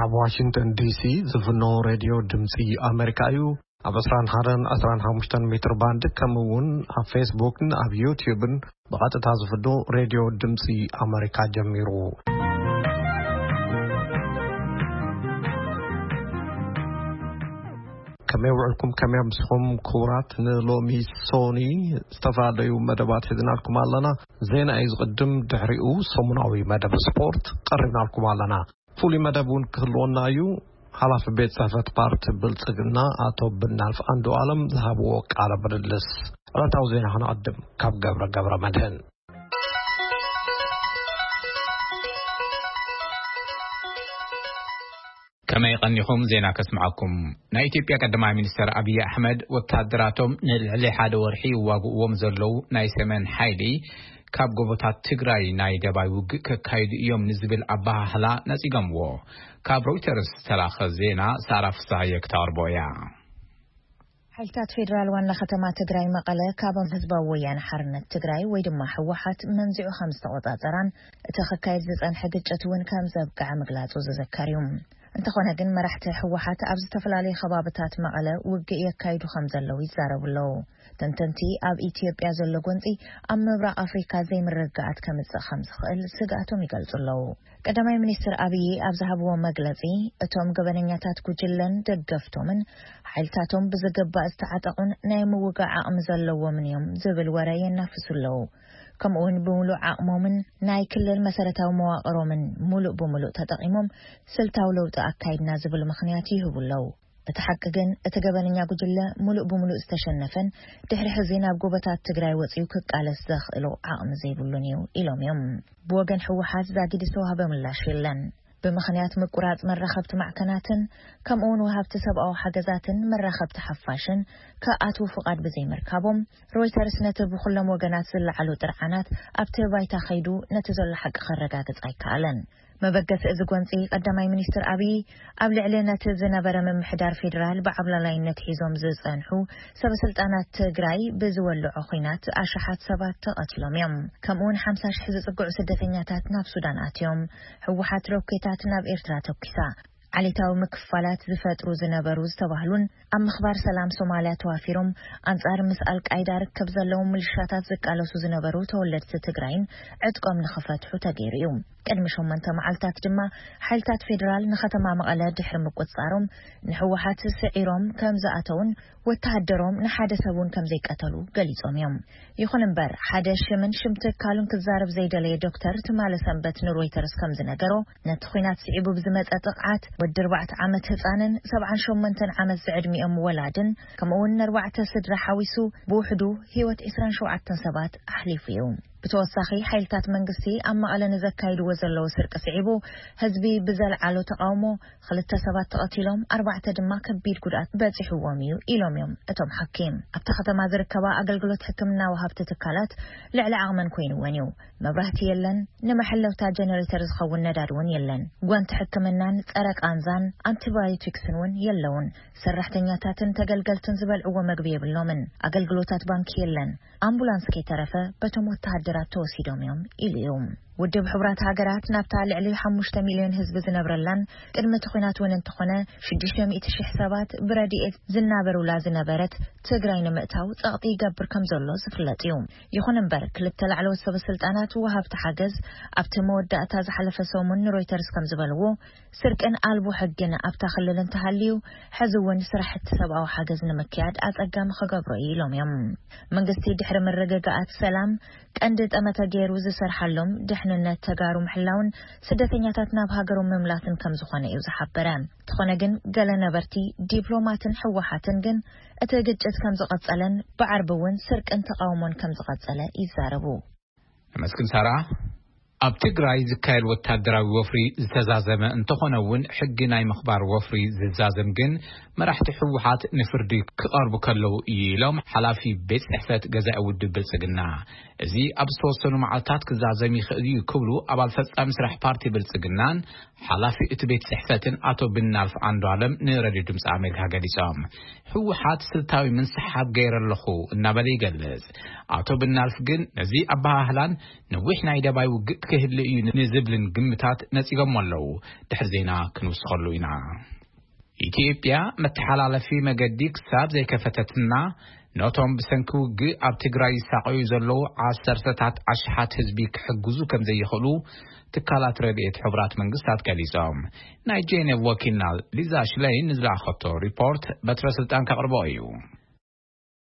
ኣብ ዋሽንግተን ዲሲ ዝፍኖ ሬድዮ ድምፂ ኣሜሪካ እዩ። ኣብ ዕስራን ሓደን ዕስራን ሓሙሽተን ሜትር ባንድ፣ ከምኡ እውን ኣብ ፌስቡክን ኣብ ዩቲዩብን ብቐጥታ ዝፍኖ ሬድዮ ድምፂ ኣሜሪካ ጀሚሩ። ከመይ ውዕልኩም? ከመይ ኣምስኹም? ክቡራት፣ ንሎሚ ሶኒ ዝተፈላለዩ መደባት ሒዝናልኩም ኣለና። ዜና እዩ ዝቕድም፣ ድሕሪኡ ሰሙናዊ መደብ ስፖርት ቀሪብናልኩም ኣለና። ፍሉይ መደብ እውን ክህልወና እዩ። ሓላፊ ቤት ጽሕፈት ፓርቲ ብልጽግና ኣቶ ብናልፍ ኣንዱ ኣለም ዝሃብዎ ቃለ ምልልስ። ዕለታዊ ዜና ክነቐድም ካብ ገብረ ገብረ መድህን። ከመይ ቀኒኹም? ዜና ከስምዓኩም። ናይ ኢትዮጵያ ቀዳማይ ሚኒስተር ኣብይ ኣሕመድ ወታደራቶም ንልዕሊ ሓደ ወርሒ ይዋግእዎም ዘለዉ ናይ ሰሜን ሓይሊ ካብ ጎቦታት ትግራይ ናይ ደባይ ውግእ ከካይዱ እዮም ንዝብል ኣበሃህላ ነጺጎምዎ። ካብ ሮይተርስ ዝተላኸ ዜና ሳራ ፍስሃየ ክተቕርቦ እያ። ሓይልታት ፌዴራል ዋና ከተማ ትግራይ መቐለ ካብም ህዝባዊ ወያነ ሓርነት ትግራይ ወይ ድማ ህወሓት መንዚዑ ከም ዝተቆጻጸራን እቲ ክካየድ ዝጸንሐ ግጭት እውን ከም ዘብቅዐ ምግላጹ ዝዝከር እዩ። እንተኾነ ግን መራሕቲ ህወሓት ኣብ ዝተፈላለዩ ከባብታት መቐለ ውግእ የካይዱ ከም ዘለዉ ይዛረቡ ኣለዉ። ተንተንቲ ኣብ ኢትዮጵያ ዘሎ ጎንጺ ኣብ ምብራቕ ኣፍሪካ ዘይምርግጋኣት ከምጽእ ከም ዝኽእል ስግኣቶም ይገልጹ ኣለዉ። ቀዳማይ ሚኒስትር ኣብይ ኣብ ዝሃብዎ መግለጺ፣ እቶም ገበነኛታት ጉጅለን ደገፍቶምን ሓይልታቶም ብዝግባእ ዝተዓጠቑን ናይ ምውጋእ ዓቕሚ ዘለዎምን እዮም ዝብል ወረ የናፍሱ ኣለዉ። ከምኡውን ብምሉእ ዓቕሞምን ናይ ክልል መሰረታዊ መዋቕሮምን ሙሉእ ብምሉእ ተጠቒሞም ስልታዊ ለውጢ ኣካይድና ዝብል ምኽንያት ይህቡ ኣለዉ። እቲ ሓቂ ግን እቲ ገበነኛ ጉጅለ ሙሉእ ብምሉእ ዝተሸነፈን ድሕሪ ሕዚ ናብ ጎቦታት ትግራይ ወፂኡ ክቃለስ ዘኽእሎ ዓቕሚ ዘይብሉን እዩ ኢሎም እዮም። ብወገን ህወሓት ዛጊድ ዝተዋህበ ምላሽ የለን። ብምኽንያት ምቁራፅ መራኸብቲ ማዕከናትን ከምኡውን ወሃብቲ ሰብኣዊ ሓገዛትን መራኸብቲ ሓፋሽን ከኣትዉ ፍቓድ ብዘይምርካቦም፣ ሮይተርስ ነቲ ብኩሎም ወገናት ዝለዓሉ ጥርዓናት ኣብቲ ባይታ ከይዱ ነቲ ዘሎ ሓቂ ከረጋግጽ ኣይከኣለን። መበገሲ እዚ ጎንጺ ቀዳማይ ሚኒስትር ኣብይ ኣብ ልዕሊ ነቲ ዝነበረ ምምሕዳር ፌዴራል ብዓብላላይነት ሒዞም ዝጸንሑ ሰበስልጣናት ትግራይ ብዝወልዖ ኹናት ኣሽሓት ሰባት ተቐቲሎም እዮም። ከምኡውን ሓምሳ ሽሕ ዝጽግዑ ስደተኛታት ናብ ሱዳን ኣትዮም። ህወሓት ሮኬታት ናብ ኤርትራ ተኩሳ። ዓሌታዊ ምክፋላት ዝፈጥሩ ዝነበሩ ዝተባህሉን ኣብ ምኽባር ሰላም ሶማልያ ተዋፊሮም ኣንጻር ምስ ኣልቃይዳ ርክብ ዘለዎም ምልሻታት ዝቃለሱ ዝነበሩ ተወለድቲ ትግራይን ዕጥቆም ንኽፈትሑ ተገይሩ እዩ። ቅድሚ ሸሞንተ መዓልታት ድማ ሓይልታት ፌዴራል ንከተማ መቐለ ድሕሪ ምቁጽጻሮም ንህወሓት ስዒሮም ከም ዝኣተውን ወተሃደሮም ንሓደ ሰብ እውን ከም ዘይቀተሉ ገሊጾም እዮም። ይኹን እምበር ሓደ ሽምን ሽም ትካሉን ክዛረብ ዘይደለየ ዶክተር ትማሊ ሰንበት ንሮይተርስ ከም ዝነገሮ ነቲ ኹናት ስዒቡ ብዝመጸ ጥቕዓት ወዲ ኣርባዕተ ዓመት ህጻንን ሰብዓን ሸሞንተን ዓመት ዝዕድሚኦም ወላድን ከምኡውን ንኣርባዕተ ስድራ ሓዊሱ ብውሕዱ ህይወት ዕስራን ሸውዓተን ሰባት ኣሕሊፉ እዩ። ብተወሳኺ ሓይልታት መንግስቲ ኣብ መቐለ ንዘካይድዎ ዘለዉ ስርቂ ስዒቡ ህዝቢ ብዘልዓሎ ተቓውሞ ክልተ ሰባት ተቐቲሎም ኣርባዕተ ድማ ከቢድ ጉድኣት በጺሕዎም እዩ ኢሎም እዮም እቶም ሓኪም። ኣብታ ከተማ ዝርከባ ኣገልግሎት ሕክምና ወሃብቲ ትካላት ልዕሊ ዓቕመን ኮይንወን እዩ። መብራህቲ የለን፣ ንመሐለውታ ጀነሬተር ዝኸውን ነዳድ እውን የለን። ጓንቲ ሕክምናን ጸረ ቃንዛን ኣንቲባዮቲክስን እውን የለውን። ሰራሕተኛታትን ተገልገልትን ዝበልዕዎ መግቢ የብሎምን። ኣገልግሎታት ባንኪ የለን። ኣምቡላንስ ከይተረፈ በቶም ወተሃደራት ተወሲዶም እዮም ኢሉ እዩ። ውድብ ሕቡራት ሃገራት ናብታ ልዕሊ ሓሙሽተ ሚልዮን ህዝቢ ዝነብረላን ቅድሚ እቲ ኹናት እውን እንተኾነ ሽዱሽተ ሚእቲ ሽሕ ሰባት ብረድኤት ዝናበሩላ ዝነበረት ትግራይ ንምእታው ጸቕጢ ይገብር ከም ዘሎ ዝፍለጥ እዩ። ይኹን እምበር ክልተ ላዕለዎት ሰበ ስልጣናት ወሃብቲ ሓገዝ ኣብቲ መወዳእታ ዝሓለፈ ሰሙን ንሮይተርስ ከም ዝበልዎ ስርቅን ኣልቦ ሕግን ኣብታ ክልል እንተሃልዩ ሕዚ እውን ስራሕቲ ሰብኣዊ ሓገዝ ንምክያድ ኣጸጋሚ ክገብሮ እዩ ኢሎም እዮም። መንግስቲ ድሕሪ ምርግጋኣት ሰላም ቀንዲ ጠመተ ገይሩ ዝሰርሓሎም ድሕንነት ተጋሩ ምሕላውን ስደተኛታት ናብ ሃገሮም ምምላስን ከም ዝኾነ እዩ ዝሓበረ። እንተኾነ ግን ገለ ነበርቲ ዲፕሎማትን ህወሓትን ግን እቲ ግጭት ከም ዝቐጸለን ብዓርቢ እውን ስርቅን ተቓውሞን ከም ዝቐጸለ ይዛረቡ። ነመስግን ሳራ። ኣብ ትግራይ ዝካየድ ወታደራዊ ወፍሪ ዝተዛዘመ እንተኾነ እውን ሕጊ ናይ ምኽባር ወፍሪ ዝዛዘም ግን መራሕቲ ህወሓት ንፍርዲ ክቐርቡ ከለዉ እዩ ኢሎም ሓላፊ ቤት ጽሕፈት ገዛኢ ውድብ ብልጽግና። እዚ ኣብ ዝተወሰኑ መዓልታት ክዛዘም ይኽእል እዩ ክብሉ ኣባል ፈጻሚ ስራሕ ፓርቲ ብልጽግናን ሓላፊ እቲ ቤት ጽሕፈትን ኣቶ ብናልፍ ኣንዱ ኣለም ንረድዮ ድምፂ ኣሜሪካ ገሊጾም። ህወሓት ስልታዊ ምንስሓብ ገይረ ኣለኹ እናበለ ይገልጽ። ኣቶ ብናልፍ ግን ነዚ ኣበሃህላን ነዊሕ ናይ ደባይ ውግእ ክህሉ እዩ ንዝብልን ግምታት ነጺጎም ኣለዉ። ድሕሪ ዜና ክንውስኸሉ ኢና። ኢትዮጵያ መተሓላለፊ መገዲ ክሳብ ዘይከፈተትና፣ ነቶም ብሰንኪ ውግእ ኣብ ትግራይ ይሳቐዩ ዘለዉ ዓሰርተታት ኣሽሓት ህዝቢ ክሕግዙ ከም ዘይኽእሉ ትካላት ረድኤት ሕቡራት መንግስታት ገሊጾም። ናይ ጄኔቭ ወኪልና ሊዛ ሽለይን ንዝለኣኸቶ ሪፖርት በትረ ስልጣን ከቕርቦ እዩ።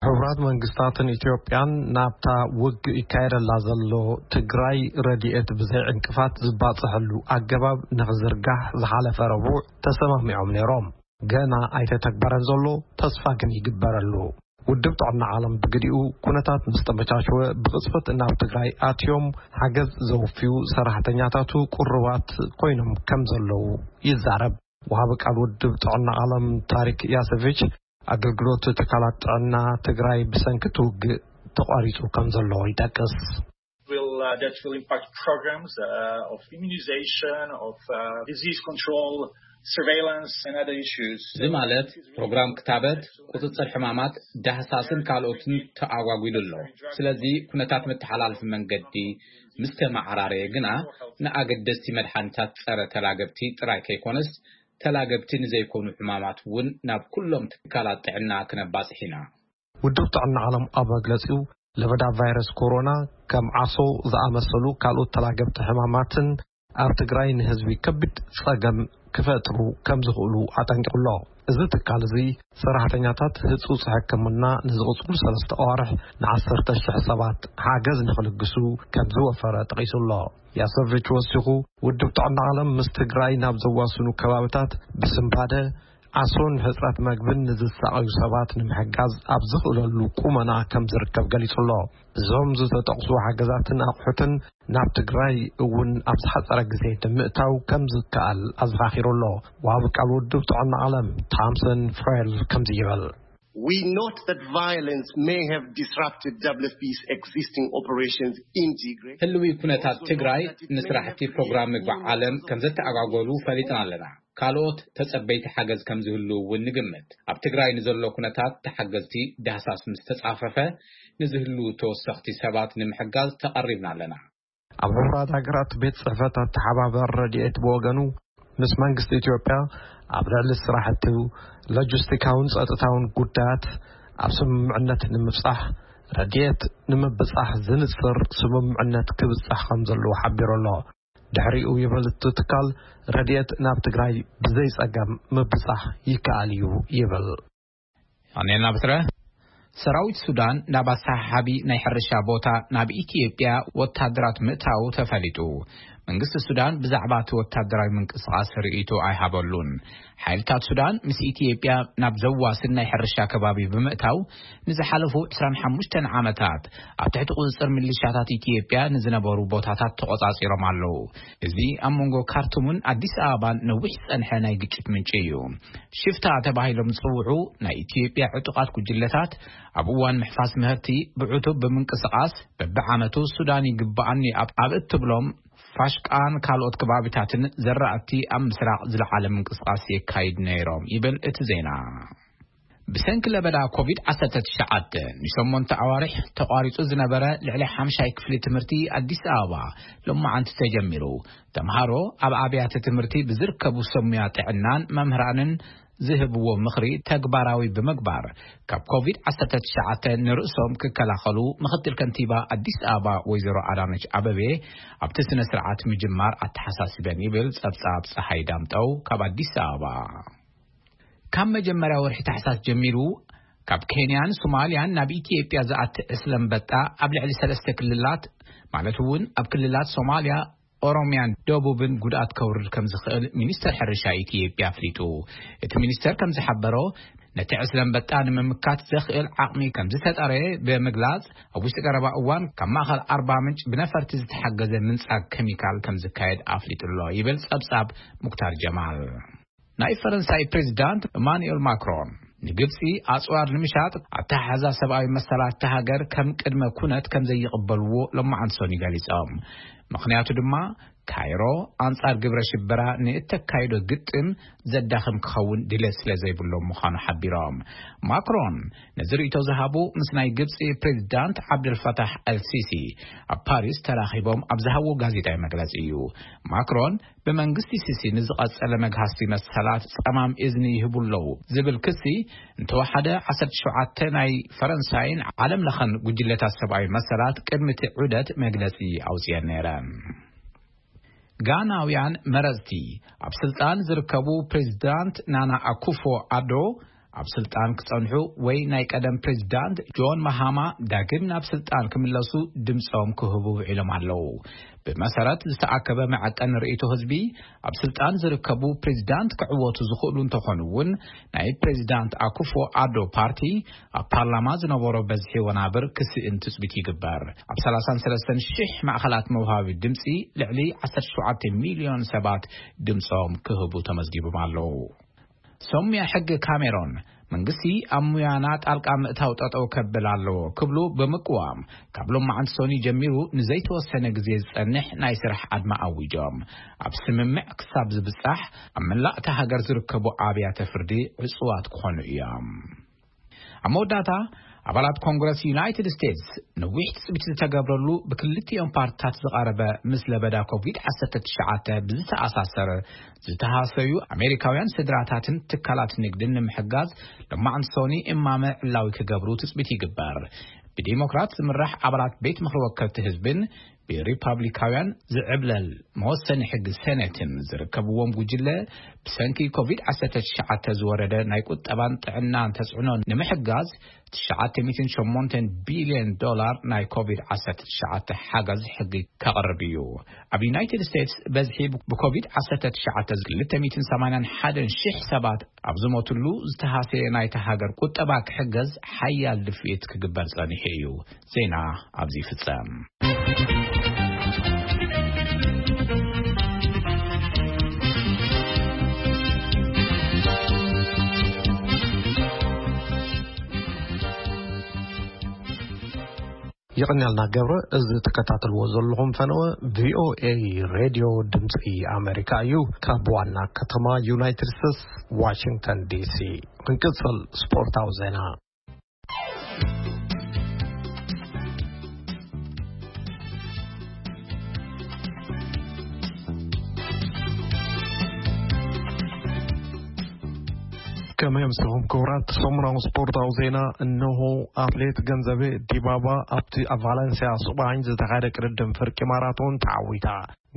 ሕቡራት መንግስታትን ኢትዮጵያን ናብታ ውግእ ይካየደላ ዘሎ ትግራይ ረድኤት ብዘይ ዕንቅፋት ዝባጽሐሉ ኣገባብ ንኽዝርጋሕ ዝሓለፈ ረቡዕ ተሰማሚዖም ነይሮም። ገና ኣይተተግበረን ዘሎ፣ ተስፋ ግን ይግበረሉ። ውድብ ጥዕና ዓለም ብግዲኡ፣ ኩነታት ምስ ተመቻቸወ ብቕጽበት ናብ ትግራይ ኣትዮም ሓገዝ ዘውፍዩ ሰራሕተኛታቱ ቅሩባት ኮይኖም ከም ዘለዉ ይዛረብ። ወሃቢ ቃል ውድብ ጥዕና ዓለም ታሪክ ያሰቪች፣ ኣገልግሎት ትካላት ጥዕና ትግራይ ብሰንኪ እቲ ውግእ ተቋሪጹ ከም ዘሎ ይጠቅስ። Will, uh, that will impact programs uh, of immunization, of uh, disease control, surveillance, and other issues. እዚ ማለት ፕሮግራም ክታበት፣ ቁጽጽር ሕማማት፣ ዳህሳስን ካልኦትን ተኣጓጒሉ ኣሎ። ስለዚ ኩነታት መተሓላለፊ መንገዲ ምስ ተመዓራረየ ግና፣ ንኣገደስቲ መድሓኒታት ጸረ ተላገብቲ ጥራይ ከይኮነስ፣ ተላገብቲ ንዘይኮኑ ሕማማት እውን ናብ ኩሎም ትካላት ጥዕና ክነባጽሕ ኢና። ውድብ ጥዕና ዓለም ኣብ መግለጺኡ፣ ለበዳ ቫይረስ ኮሮና ከም ዓሶ ዝኣመሰሉ ካልኦት ተላገብቲ ሕማማትን ኣብ ትግራይ ንህዝቢ ከቢድ ጸገም ክፈጥሩ ከም ዝኽእሉ ኣጠንቂቑ ኣሎ። እዚ ትካል እዚ ሰራሕተኛታት ህጹጽ ሕክምና ንዝቕጽሉ ሰለስተ ኣዋርሕ ንዓሰርተ ሽሕ ሰባት ሓገዝ ንኽልግሱ ከም ዝወፈረ ጠቒሱ ኣሎ። ያሰቪች ወሲኹ፣ ውድብ ጥዕና ዓለም ምስ ትግራይ ናብ ዘዋስኑ ከባብታት ብስንባደ፣ ዓሶን ሕጽረት መግብን ንዝሳቐዩ ሰባት ንምሕጋዝ ኣብ ዝኽእለሉ ቁመና ከም ዝርከብ ገሊጹ ኣሎ። እዞም ዝተጠቕሱ ሓገዛትን ኣቑሑትን ናብ ትግራይ እውን ኣብ ዝሓጸረ ግዜ ንምእታው ከም ዝከኣል ኣዘኻኺሩ ኣሎ። ወሃቢ ቃል ውድብ ጥዕና ዓለም ታምሰን ፍሬል ከምዚ ይብል። We note that violence may have disrupted W F P's existing operations in Tigray. ህልዊ ኩነታት ትግራይ ንስራሕቲ ፕሮግራም ምግቢ ዓለም ከም ዘተኣጓጎሉ ፈሊጥና ኣለና። ካልኦት ተጸበይቲ ሓገዝ ከም ዝህልዉ እውን ንግምት። ኣብ ትግራይ ንዘሎ ኩነታት ተሓገዝቲ ዳህሳስ ምስ ተጻፈፈ፣ ንዝህልዉ ተወሰኽቲ ሰባት ንምሕጋዝ ተቐሪብና ኣለና። ኣብ ሕቡራት ሃገራት ቤት ጽሕፈት ኣተሓባበር ረድኤት ብወገኑ፣ ምስ መንግስቲ ኢትዮጵያ ኣብ ልዕሊ ስራሕቲ ሎጂስቲካውን ጸጥታውን ጉዳያት ኣብ ስምምዕነት ንምብጻሕ፣ ረድኤት ንምብጻሕ ዝንጽር ስምምዕነት ክብጻሕ ከም ዘለዎ ሓቢሩ ኣሎ። ድሕሪኡ ይብል እቲ ትካል፣ ረድኤት ናብ ትግራይ ብዘይ ጸገም ምብጻሕ ይከኣል እዩ ይብል። ኣኔልና ብስረ ሰራዊት ሱዳን ናብ ኣሰሓሓቢ ናይ ሕርሻ ቦታ ናብ ኢትዮጵያ ወታደራት ምእታው ተፈሊጡ። መንግስቲ ሱዳን ብዛዕባ እቲ ወታደራዊ ምንቅስቓስ ርእይቶ ኣይሃበሉን። ሓይልታት ሱዳን ምስ ኢትዮጵያ ናብ ዘዋስን ናይ ሕርሻ ከባቢ ብምእታው፣ ንዝሓለፉ ዕስራን ሓሙሽተን ዓመታት ኣብ ትሕቲ ቁጽጽር ሚሊሻታት ኢትዮጵያ ንዝነበሩ ቦታታት ተቖጻጺሮም ኣለዉ። እዚ ኣብ መንጎ ካርቱምን ኣዲስ ኣበባን ነዊሕ ዝጸንሐ ናይ ግጭት ምንጪ እዩ። ሽፍታ ተባሂሎም ዝጽውዑ ናይ ኢትዮጵያ ዕጡቓት ጉጅለታት፣ ኣብ እዋን ምሕፋስ ምህርቲ ብዕቱብ ብምንቅስቓስ፣ በብዓመቱ ሱዳን ይግብኣኒ ኣብ፣ ኣብ እትብሎም ፋሽቃን ካልኦት ከባቢታትን ዘራእቲ ኣብ ምስራቕ ዝለዓለ ምንቅስቓስ የካይድ ነይሮም ይብል እቲ ዜና። ብሰንኪ ለበዳ ኮቪድ ዓሰርተ ትሽዓተ ንሸሞንተ ኣዋርሕ ተቋሪጹ ዝነበረ ልዕሊ ሓምሻይ ክፍሊ ትምህርቲ ኣዲስ ኣበባ ሎማዓንቲ ተጀሚሩ። ተምሃሮ ኣብ ኣብያተ ትምህርቲ ብዝርከቡ ሰብ ሙያ ጥዕናን መምህራንን ዝህብዎ ምኽሪ ተግባራዊ ብምግባር፣ ካብ ኮቪድ ዓሰርተ ትሽዓተ ንርእሶም ክከላኸሉ ምኽትል ከንቲባ ኣዲስ ኣበባ ወይዘሮ ኣዳነች ኣበቤ ኣብቲ ስነ ስርዓት ምጅማር ኣተሓሳሲበን ይብል ጸብጻብ ጸሓይ ዳምጠው ካብ ኣዲስ ኣበባ። ካብ መጀመርያ ወርሒ ታሕሳስ ጀሚሩ፣ ካብ ኬንያን ሶማልያን ናብ ኢትዮጵያ ዝኣቲ ዕስለ ኣንበጣ ኣብ ልዕሊ ሰለስተ ክልላት፣ ማለት እውን ኣብ ክልላት ሶማልያ፣ ኦሮምያን ደቡብን ጉድኣት ከውርድ ከም ዝኽእል ሚኒስተር ሕርሻ ኢትዮጵያ ኣፍሊጡ። እቲ ሚኒስተር ከም ዝሓበሮ፣ ነቲ ዕስለ ኣንበጣ ንምምካት ዘኽእል ዓቕሚ ከም ዝተጠረየ ብምግላጽ፣ ኣብ ውሽጢ ቀረባ እዋን ካብ ማእኸል ኣርባ ምንጭ ብነፈርቲ ዝተሓገዘ ምንጻግ ኬሚካል ከም ዝካየድ ኣፍሊጡ ኣሎ ይብል ጸብጻብ ሙክታር ጀማል። ናይ ፈረንሳይ ፕሬዚዳንት ኢማኑኤል ማክሮን፣ ንግብጺ ኣጽዋር ንምሻጥ ኣተሓሕዛ ሰብኣዊ መሰላት እታ ሃገር ከም ቅድመ ኩነት ከም ዘይቕበልዎ ሎማዓንቲ ሰኑይ ገሊጾም። ምኽንያቱ ድማ፣ ካይሮ ኣንጻር ግብረ ሽበራ ንእተካይዶ ግጥም ዘዳኽም ክኸውን ድሌት ስለ ዘይብሎም ምዃኑ ሓቢሮም። ማክሮን ነዚ ርእይቶ ዝሃቡ ምስ ናይ ግብጺ ፕሬዚዳንት ዓብደልፈታሕ ኣልሲሲ ኣብ ፓሪስ ተራኺቦም ኣብ ዝሃብዎ ጋዜጣዊ መግለጺ እዩ። ማክሮን ብመንግስቲ ሲሲ ንዝቐጸለ መግሃስቲ መሰላት ጸማም እዝኒ ይህቡ ኣለዉ ዝብል ክሲ እንተወሓደ ዓሰርተ ሸውዓተ ናይ ፈረንሳይን ዓለም ለኸን ጉጅለታት ሰብኣዊ መሰላት ቅድሚ እቲ ዑደት መግለጺ ኣውጽኤን ነይረን። ጋናውያን መረጽቲ ኣብ ስልጣን ዝርከቡ ፕሬዚዳንት ናና ኣኩፎ ኣዶ ኣብ ስልጣን ክጸንሑ ወይ ናይ ቀደም ፕሬዚዳንት ጆን ማሃማ ዳግም ናብ ስልጣን ክምለሱ ድምጾም ክህቡ ውዒሎም ኣለዉ። ብመሰረት ዝተኣከበ መዐቀኒ ርእይቶ ህዝቢ ኣብ ስልጣን ዝርከቡ ፕሬዚዳንት ክዕወቱ ዝኽእሉ እንተኾኑ እውን ናይ ፕሬዚዳንት ኣኩፎ ኣዶ ፓርቲ ኣብ ፓርላማ ዝነበሮ በዝሒ ወናብር ክስእን ትጽቢት ይግበር። ኣብ ሰላሳን ሰለስተን ሽሕ ማእኸላት መውሃቢ ድምፂ ልዕሊ ዓሰርተ ሸውዓተ ሚልዮን ሰባት ድምፆም ክህቡ ተመዝጊቦም ኣለዉ። ሰሙያ ሕጊ ካሜሮን መንግስቲ ኣብ ሙያና ጣልቃ ምእታው ጠጠው ከብል ኣለዎ ክብሉ ብምቅዋም ካብ ሎማዓንቲ ሰኒ ጀሚሩ ንዘይተወሰነ ግዜ ዝጸንሕ ናይ ስራሕ ኣድማ ኣዊጆም። ኣብ ስምምዕ ክሳብ ዝብጻሕ ኣብ መላእ እታ ሃገር ዝርከቡ ኣብያተ ፍርዲ ዕጹዋት ክኾኑ እዮም። ኣብ መወዳእታ ኣባላት ኮንግረስ ዩናይትድ ስቴትስ ነዊሕ ትጽቢት ዝተገብረሉ ብክልቲኦም ፓርትታት ዝቐረበ ምስ ለበዳ ኮቪድ ዓሰርተ ትሽዓተ ብዝተኣሳሰረ ዝተሃሰዩ ኣሜሪካውያን ስድራታትን ትካላት ንግድን ንምሕጋዝ ሎማዕንቲ ሶኒ እማመ ዕላዊ ክገብሩ ትጽቢት ይግበር። ብዲሞክራት ዝምራሕ ኣባላት ቤት ምኽሪ ወከልቲ ህዝብን ብሪፓብሊካውያን ዝዕብለል መወሰኒ ሕጊ ሴኔትን ዝርከብዎም ጉጅለ ብሰንኪ ኮቪድ ዓሰርተ ትሽዓተ ዝወረደ ናይ ቁጠባን ጥዕናን ተጽዕኖ ንምሕጋዝ ትሽዓተ ሚእትን ሸሞንተን ቢልዮን ዶላር ናይ ኮቪድ ዓሰርተ ትሽዓተ ሓገዝ ሕጊ ከቕርብ እዩ። ኣብ ዩናይትድ ስቴትስ በዝሒ ብኮቪድ ዓሰርተ ትሽዓተ ክልተ ሚእትን ሰማንያን ሓደን ሽሕ ሰባት ኣብ ዝሞትሉ ዝተሃሰየ ናይታ ሃገር ቁጠባ ክሕገዝ ሓያል ድፍኢት ክግበር ጸኒሑ እዩ። ዜና ኣብዚ ይፍጸም። የቐንያልና ገብረ። እዚ ትከታተልዎ ዘለኹም ፈነወ ቪኦኤ ሬድዮ ድምፂ ኣሜሪካ እዩ። ካብ ዋና ከተማ ዩናይትድ ስቴትስ ዋሽንግተን ዲሲ። ክንቅጽል ስፖርታዊ ዜና። ከመይ ኣምሲኹም ክቡራት? ሰሙናዊ ስፖርታዊ ዜና እንሆ። ኣትሌት ገንዘቤ ዲባባ ኣብቲ ኣብ ቫለንሲያ ስጳኝ ዝተኻየደ ቅድድም ፍርቂ ማራቶን ተዓዊታ።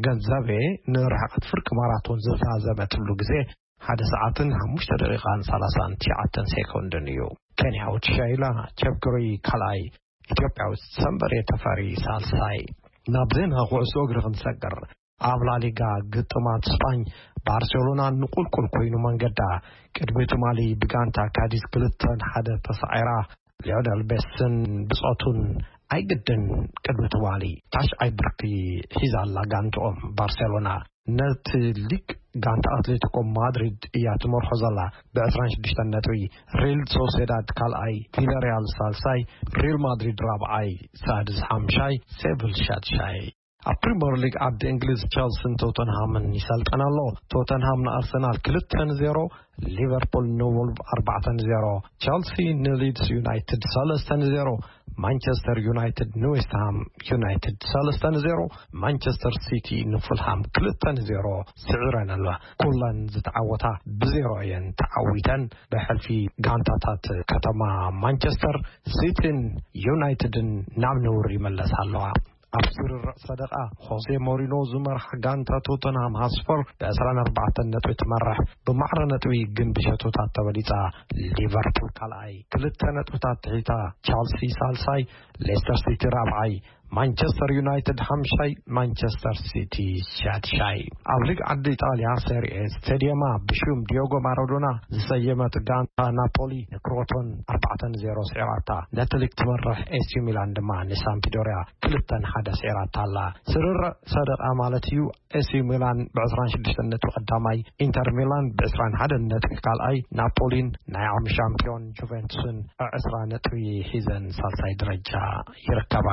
ገንዘቤ ንርሕቐት ፍርቂ ማራቶን ዝተዛዘመትሉ ግዜ ሓደ ሰዓትን ሓሙሽተ ደቂቓን ሰላሳን ትሽዓተን ሴኮንድን እዩ። ኬንያዊት ሸይላ ቸፕክሪ ካልኣይ፣ ኢትዮጵያዊት ሰንበሬ ተፈሪ ሳልሳይ። ናብ ዜና ኩዕሶ እግሪ ክንሰግር፣ ኣብ ላሊጋ ግጥማት ስጳኝ ባርሴሎና ንቁልቁል ኮይኑ መንገዳ። ቅድሚ ትማሊ ብጋንታ ካዲዝ ክልተ ንሓደ ተሳዒራ። ሊዮነል ሜስን ብጾቱን ኣይግድን ቅድሚ ትማሊ ታሽዓይ ብርኪ ሒዛ ኣላ ጋንትኦም ባርሴሎና። ነቲ ሊግ ጋንታ ኣትሌቲኮ ማድሪድ እያ ትመርሖ ዘላ ብ ዕስራን ሽዱሽተን ነጥቢ። ሪል ሶሴዳድ ካልኣይ፣ ቪላሪያል ሳልሳይ፣ ሪል ማድሪድ ራብዓይ፣ ሳድስ ሓምሻይ፣ ሴቪል ሻድሻይ። ኣብ ፕሪምየር ሊግ ዓዲ እንግሊዝ ቸልሲን ቶተንሃምን ይሰልጠን ኣሎ። ቶተንሃም ንኣርሰናል ክልተ ንዜሮ፣ ሊቨርፑል ንወልቭ ኣርባዕተ ንዜሮ፣ ቸልሲ ንሊድስ ዩናይትድ ሰለስተ ንዜሮ፣ ማንቸስተር ዩናይትድ ንዌስትሃም ዩናይትድ ሰለስተ ንዜሮ፣ ማንቸስተር ሲቲ ንፉልሃም ክልተ ንዜሮ ስዒረን ኣለዋ። ኩለን ዝተዓወታ ብዜሮ እየን ተዓዊተን። ብሕልፊ ጋንታታት ከተማ ማንቸስተር ሲቲን ዩናይትድን ናብ ነውሪ ይመለሳ ኣለዋ። ኣብ ስርርዕ ሰደቓ ሆዜ ሞሪኖ ዝመርሓ ጋንታ ቶተንሃም ሃስፐር ብ ዕስራን ኣርባዕተን ነጥቢ ትመርሕ። ብማዕረ ነጥቢ ግን ብሸቶታት ተበሊጻ። ሊቨርፑል ካልኣይ ክልተ ነጥብታት ትሒታ። ቻልሲ ሳልሳይ፣ ሌስተር ሲቲ ራብዓይ፣ ማንቸስተር ዩናይትድ ሓምሻይ፣ ማንቸስተር ሲቲ ሻድሻይ። ኣብ ሊግ ዓዲ ኢጣልያ ሴሪኤ ስቴዲየማ ብሽም ዲዮጎ ማራዶና ዝሰየመት ጋንታ ናፖሊ ንክሮቶን ኣርባዕተ ንዜሮ ስዒራታ። ነቲ ሊግ ትመርሕ ኤሲ ሚላን ድማ ንሳምፒዶሪያ ክልተ ንሓደ ስዒራታ ኣላ። ስርርዕ ሰደቓ ማለት እዩ። ኤሲ ሚላን ብ ዕስራን ሽዱሽተን ነጥቢ ቀዳማይ፣ ኢንተር ሚላን ብ ዕስራን ሓደን ነጥቢ ካልኣይ፣ ናፖሊን ናይ ዓሚ ሻምፒዮን ጁቬንቱስን ዕስራ ነጥቢ ሒዘን ሳልሳይ ደረጃ ይርከባ።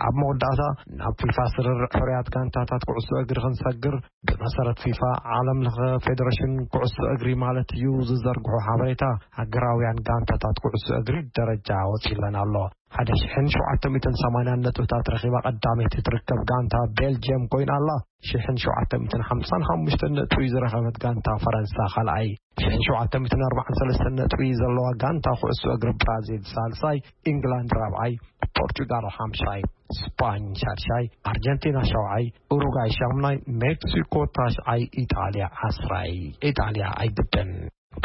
ኣብ መወዳእታ ናብ ፊፋ ስርርዕ ፍርያት ጋንታታት ኩዕሶ እግሪ ክንሰግር፣ ብመሰረት ፊፋ ዓለም ለኸ ፌደሬሽን ኩዕሶ እግሪ ማለት እዩ ዝዘርግሖ ሓበሬታ፣ ሃገራውያን ጋንታታት ኩዕሶ እግሪ ደረጃ ወፂለን ኣሎ። ሓደ ሽሕን ሸውዓተ ሚእትን ሰማንያን ነጥብታት ረኺባ ቀዳመይቲ ትርከብ ጋንታ ቤልጅየም ኮይና ኣላ። ሽሕን ሸውዓተ ሚእትን ሓምሳን ሓሙሽተን ነጥቢ ዝረኸበት ጋንታ ፈረንሳ ካልኣይ፣ ሽሕን ሸውዓተ ሚእትን ኣርባዓን ሰለስተን ነጥቢ ዘለዋ ጋንታ ኩዕሶ እግሪ ብራዚል ሳልሳይ፣ ኢንግላንድ ራብዓይ፣ ፖርቹጋል ሓምሻይ፣ ስፓኝ ሻድሻይ፣ ኣርጀንቲና ሻውዓይ፣ ኡሩጋይ ሻምናይ፣ ሜክሲኮ ታሽዓይ፣ ኢጣልያ ዓስራይ። ኢጣልያ ኣይግድን።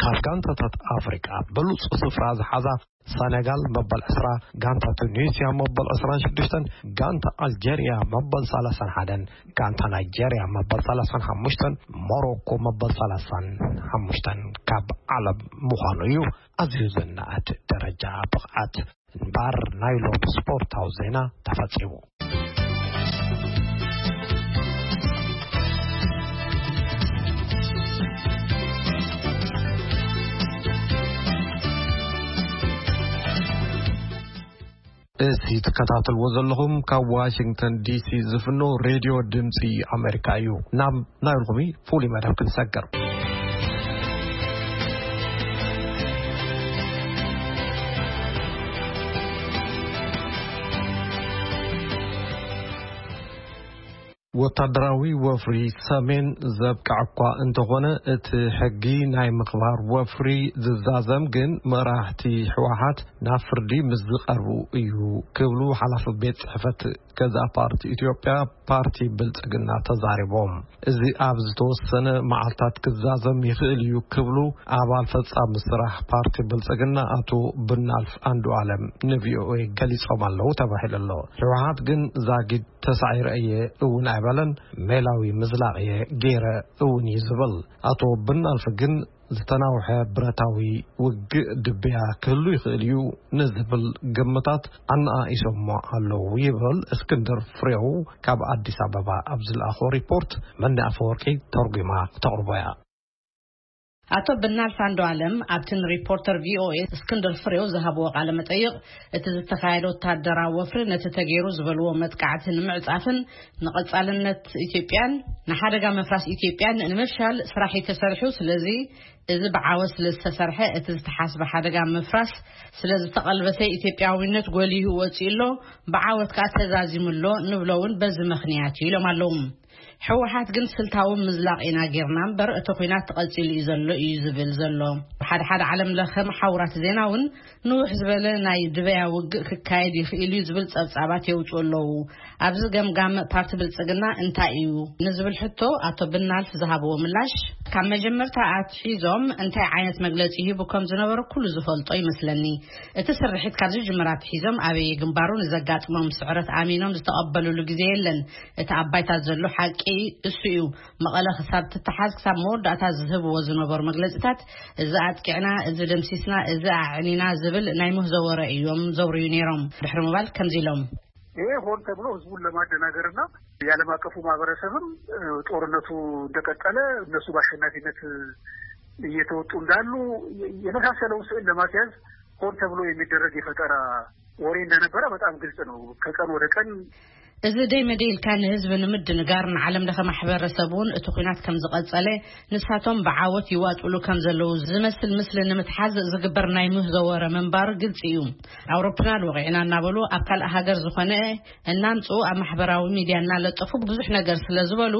ካብ ጋንታታት ኣፍሪቃ ብሉጽ ስፍራ ዝሓዛ ሰነጋል መበል ዕስራ፣ ጋንታ ቱኒስያ መበል ዕስራን ሽዱሽተን፣ ጋንታ ኣልጀርያ መበል ሰላሳን ሓደን፣ ጋንታ ናይጀርያ መበል ሰላሳን ሓሙሽተን፣ ሞሮኮ መበል ሰላሳን ሓሙሽተን ካብ ዓለም ምዃኑ እዩ። ኣዝዩ ዝነኣድ ደረጃ ብቕዓት። እምበር ናይ ሎም ስፖርታዊ ዜና ተፈጺሙ። እዚ ትከታተልዎ ዘለኹም ካብ ዋሽንግተን ዲሲ ዝፍኖ ሬድዮ ድምፂ ኣሜሪካ እዩ። ናብ ናይ ሎሚ ፍሉይ መደብ ክንሰግር። ወታደራዊ ወፍሪ ሰሜን ዘብቅዐ እኳ እንተኾነ፣ እቲ ሕጊ ናይ ምኽባር ወፍሪ ዝዛዘም ግን መራሕቲ ህወሓት ናብ ፍርዲ ምስ ዝቐርቡ እዩ ክብሉ ሓላፊ ቤት ጽሕፈት ገዛ ፓርቲ ኢትዮጵያ ፓርቲ ብልጽግና ተዛሪቦም። እዚ ኣብ ዝተወሰነ መዓልታት ክዛዘም ይኽእል እዩ ክብሉ ኣባል ፈጻሚ ስራሕ ፓርቲ ብልጽግና ኣቶ ብናልፍ ኣንዱ ኣለም ንቪኦኤ ገሊጾም ኣለዉ ተባሂሉ ኣሎ። ህወሓት ግን ዛጊድ ተሳዒረ እየ እውን ኣይበለን፣ ሜላዊ ምዝላቕ እየ ገይረ እውን እዩ ዝብል። ኣቶ ብናልፍ ግን ዝተናውሐ ብረታዊ ውግእ ድብያ ክህሉ ይኽእል እዩ ንዝብል ግምታት ኣነኣኢሶሞ ኣለዉ ይብል እስክንድር ፍሬው ካብ ኣዲስ ኣበባ ኣብ ዝለኣኾ ሪፖርት። መኒ ኣፈወርቂ ተርጒማ ክተቕርቦ እያ። ኣቶ ብናልፍ ኣንዱ ኣለም ኣብቲ ንሪፖርተር ቪኦኤ እስክንድር ፍሬው ዝሃብዎ ቃለ መጠይቕ፣ እቲ ዝተኻየደ ወታደራዊ ወፍሪ ነቲ ተገይሩ ዝበልዎ መጥቃዕቲ ንምዕጻፍን ንቐጻልነት ኢትዮጵያን ንሓደጋ ምፍራስ ኢትዮጵያን ንምፍሻል ስራሕ እዩ ተሰሪሑ። ስለዚ እዚ ብዓወት ስለ ዝተሰርሐ፣ እቲ ዝተሓስበ ሓደጋ ምፍራስ ስለ ዝተቐልበሰ፣ ኢትዮጵያዊነት ጎሊሁ ወጺኡ ኣሎ፣ ብዓወት ከኣ ተዛዚሙ ኣሎ ንብሎ እውን በዚ ምኽንያት እዩ ኢሎም ኣለዉ። ህወሓት ግን ስልታዊ ምዝላቕ ኢና ጌርና እምበር፣ እቲ ኲናት ተቐጺሉ እዩ ዘሎ እዩ ዝብል ዘሎ። ሓደ ሓደ ዓለም ለኸ መሓውራት ዜና እውን ንውሕ ዝበለ ናይ ድበያ ውግእ ክካየድ ይኽእል እዩ ዝብል ጸብጻባት የውጽኡ ኣለዉ። ኣብዚ ገምጋም ፓርቲ ብልጽግና እንታይ እዩ ንዝብል ሕቶ ኣቶ ብናልፍ ዝሃብዎ ምላሽ፣ ካብ መጀመርታ ኣትሒዞም እንታይ ዓይነት መግለጺ ይህቡ ከም ዝነበሩ ኩሉ ዝፈልጦ ይመስለኒ። እቲ ስርሒት ካብ ዝጅምር ኣትሒዞም ኣበየ ግንባሩ ንዘጋጥሞም ስዕረት ኣሚኖም ዝተቐበሉሉ ግዜ የለን። እቲ ኣብ ባይታ ዘሎ ሓቂ እሱ እዩ። መቐለ ክሳብ ትተሓዝ ክሳብ መወዳእታ ዝህብዎ ዝነበሩ መግለጺታት፣ እዚ ኣጥቂዕና፣ እዚ ደምሲስና፣ እዚ ኣዕኒና ዝብል ናይ ምህዞ ወረ እዮም ዘውርዩ ነይሮም። ድሕሪ ምባል ከምዚ ኢሎም። ይሄ ሆን ተብሎ ህዝቡን ለማደናገርና የዓለም አቀፉ ማህበረሰብም፣ እ፣ ጦርነቱ እንደቀጠለ እነሱ በአሸናፊነት እየተወጡ እንዳሉ የ-፣ የመሳሰለውን ስዕል ለማስያዝ ሆን ተብሎ የሚደረግ የፈጠራ ወሬ እንደነበረ በጣም ግልጽ ነው። ከቀን ወደ ቀን እዚ ደይ መደይ ኢልካ ንህዝቢ ንምድንጋር ንዓለም ለኸ ማሕበረሰብ እውን እቲ ኲናት ከም ዝቐጸለ፣ ንሳቶም ብዓወት ይዋጥሉ ከም ዘለዉ ዝመስል ምስሊ ንምትሓዝ ዝግበር ናይ ምህዞ ወረ ምንባሩ ግልጺ እዩ። ኣውሮፕላን ወቒዕና እናበሉ ኣብ ካልእ ሃገር ዝኾነ እናምጽኡ ኣብ ማሕበራዊ ሚድያ እናለጠፉ ብዙሕ ነገር ስለ ዝበሉ፣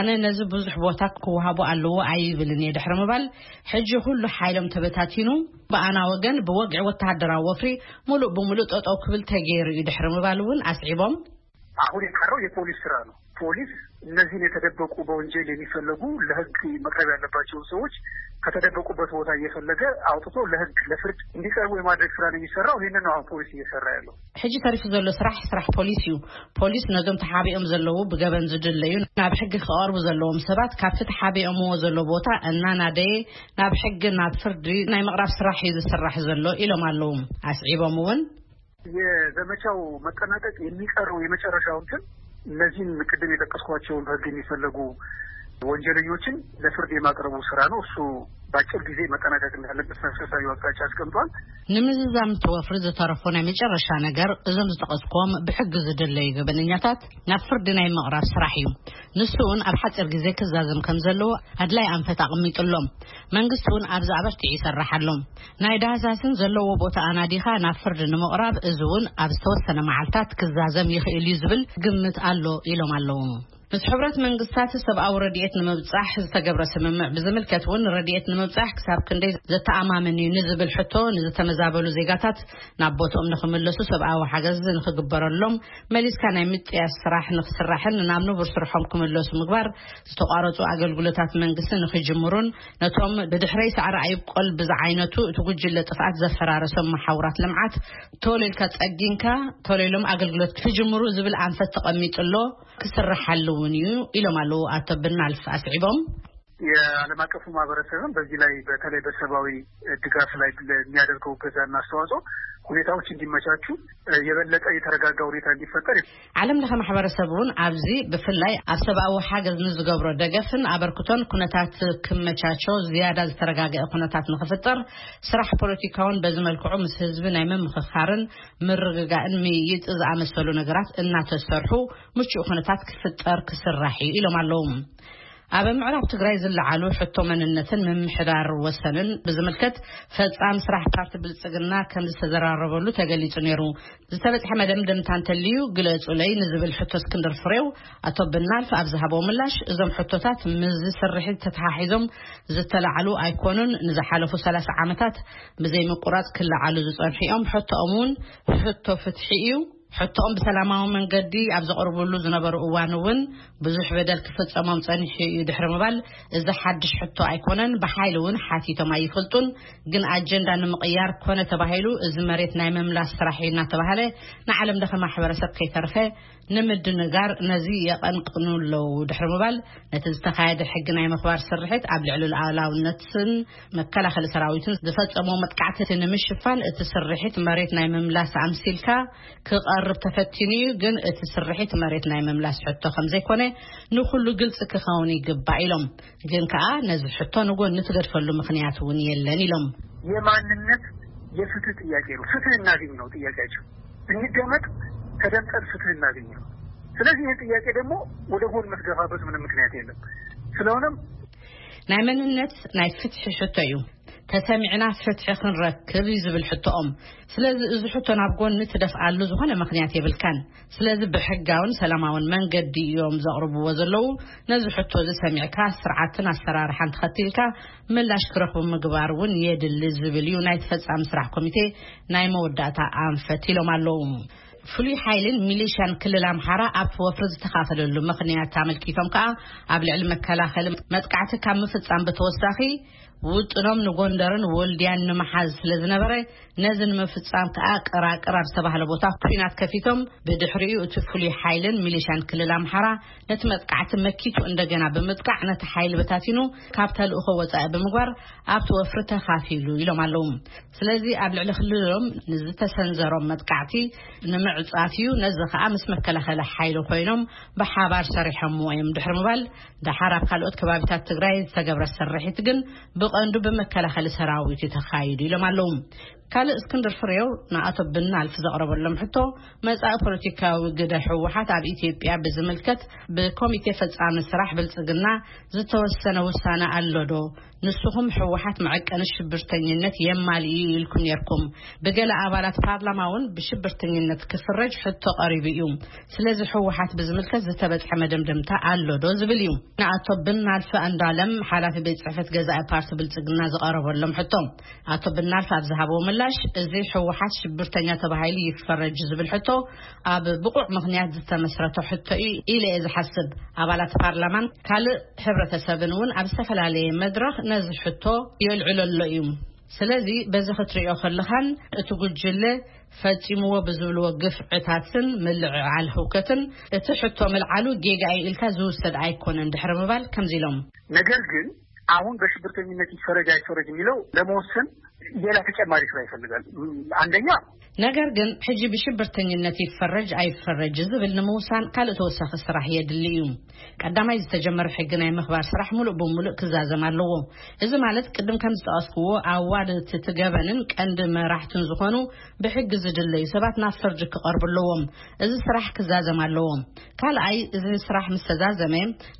ኣነ ነዚ ብዙሕ ቦታ ክወሃቦ ኣለዎ ኣይብልን እየ ድሕሪ ምባል፣ ሕጂ ኩሉ ሓይሎም ተበታቲኑ፣ ብኣና ወገን ብወግዒ ወተሃደራዊ ወፍሪ ሙሉእ ብሙሉእ ጠጠው ክብል ተገይሩ እዩ ድሕሪ ምባል እውን ኣስዒቦም። አሁን የቀረው የፖሊስ ስራ ነው። ፖሊስ እነዚህን የተደበቁ በወንጀል የሚፈለጉ ለህግ መቅረብ ያለባቸውን ሰዎች ከተደበቁበት ቦታ እየፈለገ አውጥቶ ለህግ ለፍርድ እንዲቀርቡ የማድረግ ስራ ነው የሚሰራው። ይህንን ነው አሁን ፖሊስ እየሰራ ያለው። ሕጂ ተሪፉ ዘሎ ስራሕ፣ ስራሕ ፖሊስ እዩ። ፖሊስ ነዞም ተሓቢኦም ዘለዉ ብገበን ዝድለዩ ናብ ሕጊ ክቐርቡ ዘለዎም ሰባት ካብቲ ተሓቢኦምዎ ዘሎ ቦታ እናናደየ ናብ ሕጊ፣ ናብ ፍርዲ ናይ ምቕራብ ስራሕ እዩ ዝስራሕ ዘሎ ኢሎም ኣለዉ። ኣስዒቦም እውን የዘመቻው መጠናቀቅ የሚቀረው የመጨረሻው እንትን እነዚህን ቅድም የጠቀስኳቸውን በህግ የሚፈለጉ ወንጀለኞችን ለፍርድ የማቅረቡ ስራ ነው። እሱ በአጭር ጊዜ መጠናቀቅ እንዳለበት መንፈሳዊ አቅጣጫ አስቀምጧል። ንምዝዛም እቲ ወፍሪ ዝተረፎ ናይ መጨረሻ ነገር፣ እዞም ዝጠቐስኩዎም ብሕጊ ዝድለዩ ገበነኛታት ናብ ፍርዲ ናይ ምቕራብ ስራሕ እዩ። ንሱ እውን ኣብ ሓፂር ግዜ ክዛዘም ከም ዘለዎ ኣድላይ ኣንፈት ኣቐሚጡ ኣሎ። መንግስቲ እውን ኣብዚ ኣበርቲዑ ይሰርሕ ኣሎ። ናይ ዳህሳስን ዘለዎ ቦታ ኣናዲኻ ናብ ፍርዲ ንምቕራብ፣ እዚ እውን ኣብ ዝተወሰነ መዓልታት ክዛዘም ይኽእል እዩ ዝብል ግምት ኣሎ ኢሎም ኣለዉ። ምስ ሕብረት መንግስታት ሰብኣዊ ረድኤት ንምብጻሕ ዝተገብረ ስምምዕ ብዝምልከት እውን፣ ረድኤት ንምብጻሕ ክሳብ ክንደይ ዘተኣማምን እዩ ንዝብል ሕቶ ንዝተመዛበሉ ዜጋታት ናብ ቦትኦም ንኽምለሱ ሰብኣዊ ሓገዝ ንኽግበረሎም፣ መሊስካ ናይ ምጥያስ ስራሕ ንኽስራሕን ናብ ንቡር ስርሖም ክምለሱ ምግባር፣ ዝተቋረጹ ኣገልግሎታት መንግስቲ ንኽጅምሩን፣ ነቶም ብድሕረይ ሳዕሪ ኣይብቆል ብዝዓይነቱ እቲ ጉጅለ ጥፍኣት ዘፈራረሶም መሓውራት ልምዓት ቶሎ ኢልካ ጸጊንካ ቶሎ ኢሎም ኣገልግሎት ክጅምሩ ዝብል ኣንፈት ተቐሚጡ ኣሎ። ክስርሓሉ እውን እዩ ኢሎም ኣለዉ ኣቶ ብናልፍ ኣስዒቦም። የዓለም አቀፉ ማህበረሰብም በዚህ ላይ በተለይ በሰብአዊ ድጋፍ ላይ ለሚያደርገው እገዛና አስተዋጽኦ ሁኔታዎች እንዲመቻቹ፣ የበለጠ የተረጋጋ ሁኔታ እንዲፈጠር። ዓለም ለኸ ማሕበረሰብ እውን ኣብዚ ብፍላይ ኣብ ሰብኣዊ ሓገዝ ንዝገብሮ ደገፍን ኣበርክቶን ኩነታት ክመቻቾ፣ ዝያዳ ዝተረጋገአ ኩነታት ንኽፍጠር፣ ስራሕ ፖለቲካውን በዚ መልክዑ ምስ ህዝቢ ናይ ምምኽኻርን ምርግጋእን ምይይጥ ዝኣመሰሉ ነገራት እናተሰርሑ ምቹእ ኩነታት ክፍጠር ክስራሕ እዩ ኢሎም ኣለዉ። ኣብ ምዕራብ ትግራይ ዝለዓሉ ሕቶ መንነትን ምምሕዳር ወሰንን ብዝምልከት፣ ፈጻሚ ስራሕ ፓርቲ ብልጽግና ከም ዝተዘራረበሉ ተገሊጹ ነይሩ። ዝተበጽሐ መደምደምታ እንተልዩ ግለጹለይ ንዝብል ሕቶ እስክንድር ፍሬው፣ ኣቶ ብናልፍ ኣብ ዝሃቦ ምላሽ፣ እዞም ሕቶታት ምስዚ ስርሒት ተተሓሒዞም ዝተላዕሉ ኣይኮኑን። ንዝሓለፉ ሰላሳ ዓመታት ብዘይምቁራጽ ክለዓሉ ዝጸንሑ እዮም። ሕቶኦም እውን ሕቶ ፍትሒ እዩ። ሕቶኦም ብሰላማዊ መንገዲ ኣብ ዘቕርብሉ ዝነበሩ እዋን እውን ብዙሕ በደል ክፍጸሞም ጸኒሑ እዩ ድሕሪ ምባል፣ እዚ ሓድሽ ሕቶ ኣይኮነን። ብሓይሊ እውን ሓቲቶም ኣይፈልጡን። ግን ኣጀንዳ ንምቕያር ኮነ ተባሂሉ እዚ መሬት ናይ ምምላስ ስራሕ እዩ እናተባህለ ንዓለም ለኸ ማሕበረሰብ ከይተርፈ ንምድንጋር ነዚ የቐንቅኑ ኣለዉ ድሕሪ ምባል፣ ነቲ ዝተኻየደ ሕጊ ናይ ምኽባር ስርሒት ኣብ ልዕሊ ሉዓላውነትን መከላኸሊ ሰራዊትን ዝፈጸሞ መጥቃዕቲ ንምሽፋን እቲ ስርሒት መሬት ናይ ምምላስ ኣምሲልካ ክቐርብ ተፈቲኑ እዩ። ግን እቲ ስርሒት መሬት ናይ ምምላስ ሕቶ ከም ዘይኮነ ንኹሉ ግልጺ ክኸውን ይግባእ ኢሎም። ግን ከኣ ነዚ ሕቶ ንጎኒ ትገድፈሉ ምኽንያት እውን የለን ኢሎም። የማንነት የፍትህ ጥያቄ ነው። ፍትህ እናገኝ ነው ጥያቄያቸው። እንደመጥ ተደምጠን ፍትህ እናገኝ ነው። ስለዚህ ይህ ጥያቄ ደግሞ ወደ ጎን የምትገፋበት ምንም ምክንያት የለም። ስለሆነም ናይ መንነት ናይ ፍትሒ ሕቶ እዩ። ተሰሚዕና ፍትሒ ክንረክብ እዩ ዝብል ሕቶኦም። ስለዚ እዚ ሕቶ ናብ ጎኒ ትደፍኣሉ ዝኾነ ምኽንያት የብልካን። ስለዚ ብሕጋውን ሰላማውን መንገዲ እዮም ዘቕርብዎ ዘለዉ። ነዚ ሕቶ እዚ ሰሚዕካ ስርዓትን ኣሰራርሓን ተኸቲልካ ምላሽ ክረኽቡ ምግባር እውን የድሊ ዝብል እዩ ናይ ተፈጻሚ ስራሕ ኮሚቴ ናይ መወዳእታ ኣንፈት ኢሎም ኣለዉ። ፍሉይ ሓይልን ሚሊሻን ክልል ኣምሓራ ኣብቲ ወፍሪ ዝተኻፈለሉ ምኽንያት ኣመልኪቶም ከኣ፣ ኣብ ልዕሊ መከላኸሊ መጥቃዕቲ ካብ ምፍጻም ብተወሳኺ ውጥኖም ንጎንደርን ወልድያን ንምሓዝ ስለ ዝነበረ፣ ነዚ ንምፍጻም ከኣ ቅራቅር ኣብ ዝተባህለ ቦታ ኲናት ከፊቶም፣ ብድሕሪኡ እቲ ፍሉይ ሓይልን ሚሊሻን ክልል ኣምሓራ ነቲ መጥቃዕቲ መኪቱ እንደገና ብምጥቃዕ ነቲ ሓይሊ በታቲኑ ካብ ተልእኾ ወጻኢ ብምግባር ኣብቲ ወፍሪ ተኻፊሉ ኢሎም ኣለዉ። ስለዚ ኣብ ልዕሊ ክልሎም ንዝተሰንዘሮም መጥቃዕቲ ንምዕጻፍ እዩ። ነዚ ከኣ ምስ መከላኸሊ ሓይሊ ኮይኖም ብሓባር ሰሪሖምዎ እዮም ድሕሪ ምባል፣ ደሓር ኣብ ካልኦት ከባቢታት ትግራይ ዝተገብረ ስርሒት ግን ብቐንዱ ብመከላኸሊ ሰራዊት እዩ ተኻይዱ ኢሎም ኣለዉ። ካልእ እስክንድር ፍሬው ንኣቶ ብናልፍ ዘቕረበሎም ሕቶ፣ መጻኢ ፖለቲካዊ ግደ ህወሓት ኣብ ኢትዮጵያ ብዝምልከት ብኮሚቴ ፈጻሚ ስራሕ ብልጽግና ዝተወሰነ ውሳነ ኣሎ ዶ? ንስኹም ህወሓት መዐቀኒ ሽብርተኝነት የማልእ እዩ ኢልኩም ነርኩም። ብገለ ኣባላት ፓርላማ እውን ብሽብርተኝነት ክፍረጅ ሕቶ ቀሪቡ እዩ። ስለዚ ህወሓት ብዝምልከት ዝተበጽሐ መደምደምታ ኣሎ ዶ ዝብል እዩ። ንኣቶ ብናልፍ ኣንዳለም ሓላፊ ቤት ጽሕፈት ገዛኢ ፓርቲ ብልጽግና ዝቐረበሎም ሕቶ፣ ኣቶ ብናልፍ ኣብ ዝሃብዎ ምላሽ፣ እዚ ህወሓት ሽብርተኛ ተባሂሉ ይፈረጅ ዝብል ሕቶ ኣብ ብቑዕ ምኽንያት ዝተመስረተ ሕቶ እዩ ኢለ እየ ዝሓስብ። ኣባላት ፓርላማን ካልእ ሕብረተሰብን እውን ኣብ ዝተፈላለየ መድረኽ ነዚ ሕቶ የልዕሎ ኣሎ እዩ። ስለዚ በዚ ክትርእዮ ከለኻን እቲ ጉጅለ ፈጺምዎ ብዝብልዎ ግፍዕታትን ምልዕዓል ህውከትን እቲ ሕቶ ምልዓሉ ጌጋ እዩ ኢልካ ዝውሰድ ኣይኮነን ድሕሪ ምባል ከምዚ ኢሎም። ነገር ግን አሁን በሽብርተኝነት ይፈረጅ አይፈረጅ የሚለው ለመወሰን ሌላ ተጨማሪ ስራ ይፈልጋል። አንደኛ ነገር ግን ሕጂ ብሽብርተኝነት ይፈረጅ ኣይፈረጅ ዝብል ንምውሳን ካልእ ተወሳኺ ስራሕ የድሊ እዩ። ቀዳማይ ዝተጀመረ ሕጊ ናይ ምኽባር ስራሕ ሙሉእ ብሙሉእ ክዛዘም ኣለዎ። እዚ ማለት ቅድም ከም ዝጠቐስክዎ ኣዋደድቲ እቲ ገበንን ቀንዲ መራሕትን ዝኾኑ ብሕጊ ዝድለዩ ሰባት ናብ ፍርዲ ክቐርቡ ኣለዎም። እዚ ስራሕ ክዛዘም ኣለዎ። ካልኣይ እዚ ስራሕ ምስ ተዛዘመ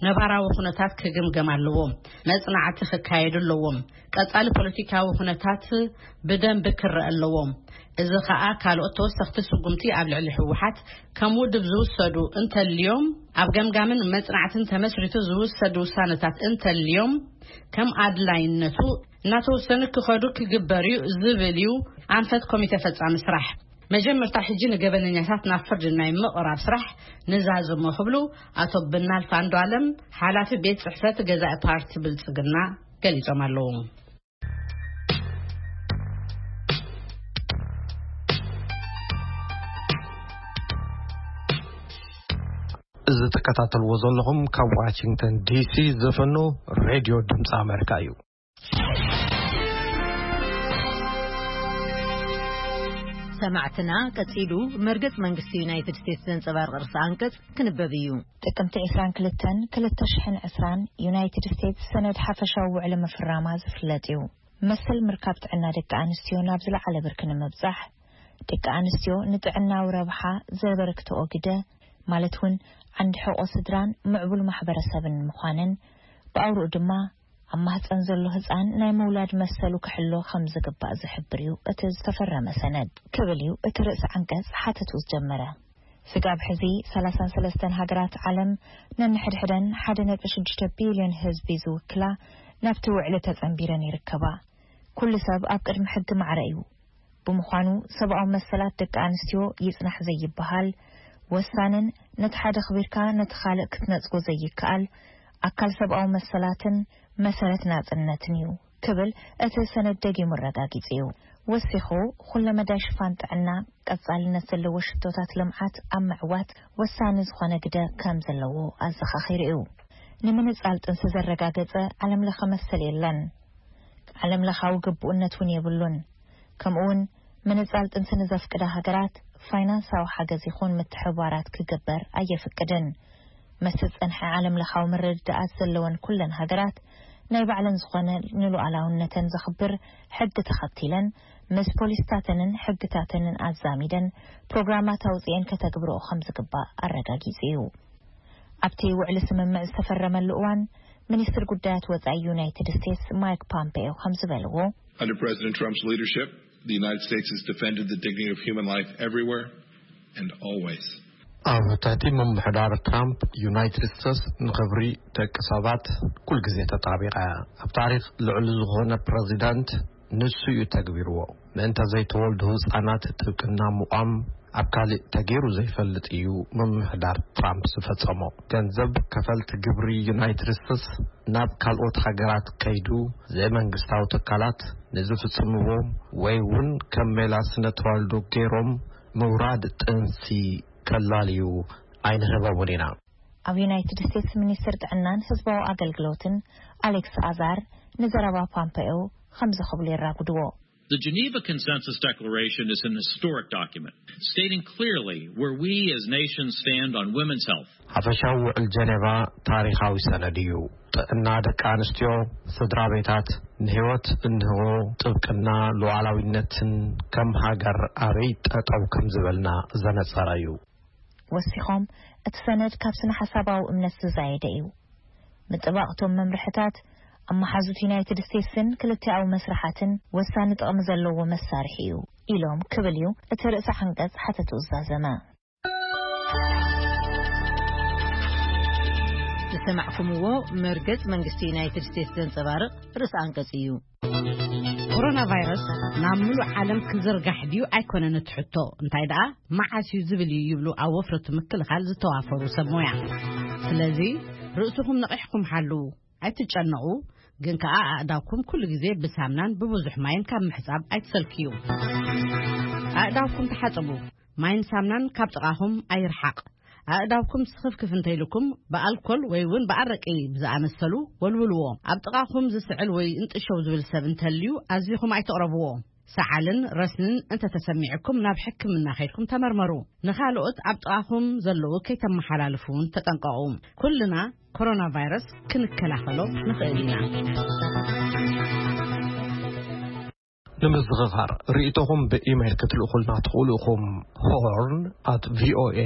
ነባራዊ ኩነታት ክግምገም ኣለዎ። መጽናዕቲ ክካየዱ ኣለዎም። ቀጻሊ ፖለቲካዊ ኩነታት ብደንቢ ክረአ ኣለዎ። እዚ ኸኣ ካልኦት ተወሰኽቲ ስጉምቲ ኣብ ልዕሊ ህወሓት ከም ውድብ ዝውሰዱ እንተልዮም ኣብ ገምጋምን መጽናዕትን ተመስሪቱ ዝውሰዱ ውሳነታት እንተልዮም ከም ኣድላይነቱ እናተወሰኑ ክኸዱ ክግበር እዩ ዝብል እዩ ኣንፈት ኮሚቴ ፈጻሚ ስራሕ። መጀመርታ ሕጂ ንገበነኛታት ናብ ፍርዲ ናይ ምቕራብ ስራሕ ንዛዝሞ ክብሉ ኣቶ ብናልፍ ኣንዱ ኣለም ሓላፊ ቤት ጽሕፈት ገዛኢ ፓርቲ ብልጽግና ገሊጾም ኣለዉ። እዚ ትከታተልዎ ዘለኹም ካብ ዋሽንግተን ዲሲ ዝፍኖ ሬድዮ ድምፂ ኣሜሪካ እዩ። ሰማዕትና ቀጺሉ መርገጽ መንግስቲ ዩናይትድ ስቴትስ ዘንጸባርቕ ርእሰ ኣንቀጽ ክንበብ እዩ። ጥቅምቲ ዕስራን ክልተን ክልተ ሽሕን ዕስራን ዩናይትድ ስቴትስ ሰነድ ሓፈሻዊ ውዕሊ ምፍራማ ዝፍለጥ እዩ። መሰል ምርካብ ጥዕና ደቂ ኣንስትዮ ናብ ዝለዓለ ብርኪ ንምብጻሕ፣ ደቂ ኣንስትዮ ንጥዕናዊ ረብሓ ዘበርክትኦ ግደ፣ ማለት እውን ዓንዲ ሕቆ ስድራን ምዕቡል ማሕበረሰብን ምዃነን፣ ብኣውርኡ ድማ ኣብ ማህፀን ዘሎ ህፃን ናይ ምውላድ መሰሉ ክሕሎ ከም ዝግባእ ዝሕብር እዩ እቲ ዝተፈረመ ሰነድ ክብል እዩ እቲ ርእሲ ዓንቀፅ ሓተቱ ዝጀመረ። ስጋብ ሕዚ ሰላሳን ሰለስተን ሃገራት ዓለም ነንሕድሕደን ሓደ ነጥቢ ሽዱሽተ ቢልዮን ህዝቢ ዝውክላ ናብቲ ውዕሊ ተፀንቢረን ይርከባ። ኩሉ ሰብ ኣብ ቅድሚ ሕጊ ማዕረ እዩ። ብምዃኑ ሰብኣዊ መሰላት ደቂ ኣንስትዮ ይጽናሕ ዘይበሃል ወሳንን ነቲ ሓደ ኣኽቢርካ ነቲ ካልእ ክትነጽጎ ዘይከኣል ኣካል ሰብኣዊ መሰላትን መሰረት ናጽነትን እዩ ክብል እቲ ሰነድ ደጊሙ ኣረጋጊጹ እዩ። ወሲኹ፣ ኩለመዳይ ሽፋን ጥዕና፣ ቀጻልነት ዘለዎ ሽቶታት ልምዓት ኣብ ምዕዋት ወሳኒ ዝኾነ ግደ ከም ዘለዎ ኣዘኻኺሩ እዩ። ንምንጻል ጥንሲ ዘረጋገጸ ዓለምለኸ መሰል የለን። ዓለምለኻዊ ግቡእነት እውን የብሉን። ከምኡውን ምንጻል ጥንሲ ንዘፍቅዳ ሃገራት ፋይናንሳዊ ሓገዝ ይኹን ምትሕብባራት ክግበር ኣየፍቅድን። ምስ ዝጸንሐ ዓለምለኻዊ ምርድዳኣት ዘለወን ኩለን ሃገራት ናይ ባዕለን ዝኾነ ንሉዓላውነተን ዘኽብር ሕጊ ተኸቲለን ምስ ፖሊስታተንን ሕግታተንን ኣዛሚደን ፕሮግራማት ኣውጺኤን ከተግብርኦ ከም ዝግባእ ኣረጋጊጹ እዩ። ኣብቲ ውዕሊ ስምምዕ ዝተፈረመሉ እዋን ሚኒስትር ጉዳያት ወጻኢ ዩናይትድ ስቴትስ ማይክ ፖምፔዮ ከም ዝበልዎ፣ Under President Trump's leadership, the United States has defended the dignity of human life everywhere and always. ኣብ ትሕቲ ምምሕዳር ትራምፕ ዩናይትድ ስቴትስ ንኽብሪ ደቂ ሰባት ኩል ግዜ ተጣቢቓ እያ። ኣብ ታሪኽ ልዕሊ ዝኾነ ፕረዚዳንት ንሱ እዩ ተግቢርዎ። ምእንተ ዘይተወልዱ ህጻናት ጥብቅና ምቋም ኣብ ካልእ ተገይሩ ዘይፈልጥ እዩ ምምሕዳር ትራምፕ ዝፈጸሞ። ገንዘብ ከፈልቲ ግብሪ ዩናይትድ ስቴትስ ናብ ካልኦት ሃገራት ከይዱ ዘይመንግስታዊ ትካላት ንዝፍጽምዎ ወይ እውን ከም ሜላ ስነ ተዋልዶ ገይሮም ምውራድ ጥንሲ ከላልዩ ኣይንህበውን ኢና። ኣብ ዩናይትድ ስቴትስ ሚኒስትር ጥዕናን ህዝባዊ ኣገልግሎትን ኣሌክስ ኣዛር ንዘረባ ፓምፐዮ ከምዚ ክብሉ የራጉድዎ። The Geneva Consensus Declaration is an historic document stating clearly where we as nations stand on women's health. ሓፈሻዊ ውዕል ጀኔቫ ታሪኻዊ ሰነድ እዩ። ጥዕና ደቂ ኣንስትዮ፣ ስድራ ቤታት፣ ንህይወት እንሆ ጥብቅና ሉዓላዊነትን ከም ሃገር ኣበይ ጠጠው ከም ዝበልና ዘነጸረ እዩ። ወሲኾም፣ እቲ ሰነድ ካብ ስነ ሓሳባዊ እምነት ዝዛየደ እዩ። ምጥባቕ እቶም መምርሕታት ኣብ መሓዙት ዩናይትድ ስቴትስን ክልቲኣዊ መስርሓትን ወሳኒ ጥቕሚ ዘለዎ መሳርሒ እዩ ኢሎም ክብል እዩ እቲ ርእሰ ዓንቀጽ ሓተቱ ዝዛዘመ። ዝሰማዕኩምዎ መርገጽ መንግስቲ ዩናይትድ ስቴትስ ዘንጸባርቕ ርእሰ ኣንቀጽ እዩ። ኮሮና ቫይረስ ናብ ምሉእ ዓለም ክዝርጋሕ ድዩ ኣይኮነን እቲ ሕቶ፣ እንታይ ደኣ መዓስ እዩ ዝብል እዩ ይብሉ ኣብ ወፍረቱ ምክልኻል ዝተዋፈሩ ሰብ ሞያ። ስለዚ ርእስኹም ነቒሕኩም ሓልዉ፣ ኣይትጨነቑ፣ ግን ከኣ ኣእዳውኩም ኩሉ ግዜ ብሳምናን ብብዙሕ ማይን ካብ ምሕጻብ ኣይትሰልክዩ። ኣእዳውኩም ተሓጸቡ፣ ማይን ሳምናን ካብ ጥቓኹም ኣይርሓቕ። ኣእዳውኩም ስኽፍክፍ እንተይልኩም ብኣልኮል ወይ እውን ብኣረቂ ብዝኣመሰሉ ወልውልዎ። ኣብ ጥቓኹም ዝስዕል ወይ እንጥሸው ዝብል ሰብ እንተልዩ ኣዚኹም ኣይተቕረብዎ። ሰዓልን ረስንን እንተተሰሚዕኩም ናብ ሕክምና ከይድኩም ተመርመሩ። ንኻልኦት ኣብ ጥቓኹም ዘለዉ ከይተመሓላልፉ እውን ተጠንቀቑ። ኩልና ኮሮና ቫይረስ ክንከላኸሎ ንኽእል ኢና። ንምዝኽኻር ርእይቶኹም ብኢሜይል ክትልእኹልና ትኽእሉ ኢኹም። ሆርን ኣት ቪኦኤ